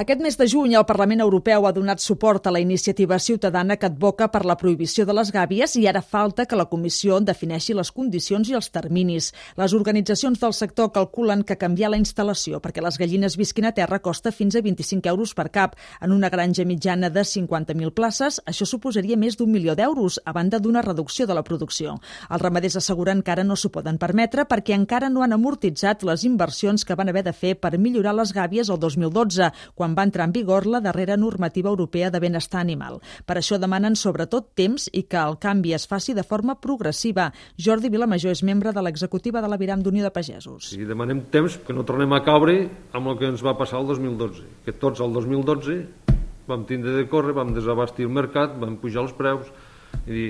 Aquest mes de juny el Parlament Europeu ha donat suport a la iniciativa ciutadana que advoca per la prohibició de les gàbies i ara falta que la Comissió defineixi les condicions i els terminis. Les organitzacions del sector calculen que canviar la instal·lació perquè les gallines visquin a terra costa fins a 25 euros per cap. En una granja mitjana de 50.000 places, això suposaria més d'1 milió d'euros, a banda d'una reducció de la producció. Els ramaders asseguren que ara no s'ho poden permetre perquè encara no han amortitzat les inversions que van haver de fer per millorar les gàbies el 2012, quan va entrar en vigor la darrera normativa europea de benestar animal. Per això demanen sobretot temps i que el canvi es faci de forma progressiva. Jordi Vilamajor és membre de l'executiva de l'Aviram d'Unió de Pagesos. I demanem temps que no tornem a caure amb el que ens va passar el 2012, que tots el 2012 vam tindre de córrer, vam desabastir el mercat, vam pujar els preus i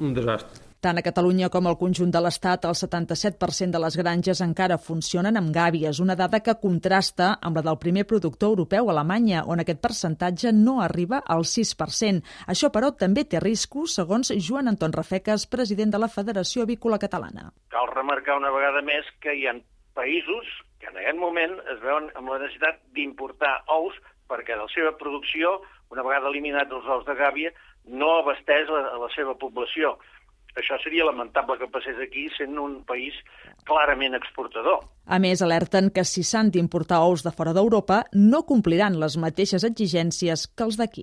un desastre. Tant a Catalunya com al conjunt de l'Estat, el 77% de les granges encara funcionen amb gàbies, una dada que contrasta amb la del primer productor europeu, Alemanya, on aquest percentatge no arriba al 6%. Això, però, també té riscos, segons Joan Anton Rafecas, president de la Federació Avícola Catalana. Cal remarcar una vegada més que hi ha països que en aquest moment es veuen amb la necessitat d'importar ous perquè de la seva producció, una vegada eliminats els ous de gàbia, no abasteix la seva població. Això seria lamentable que passés aquí, sent un país clarament exportador. A més, alerten que si s'han d'importar ous de fora d'Europa, no compliran les mateixes exigències que els d'aquí.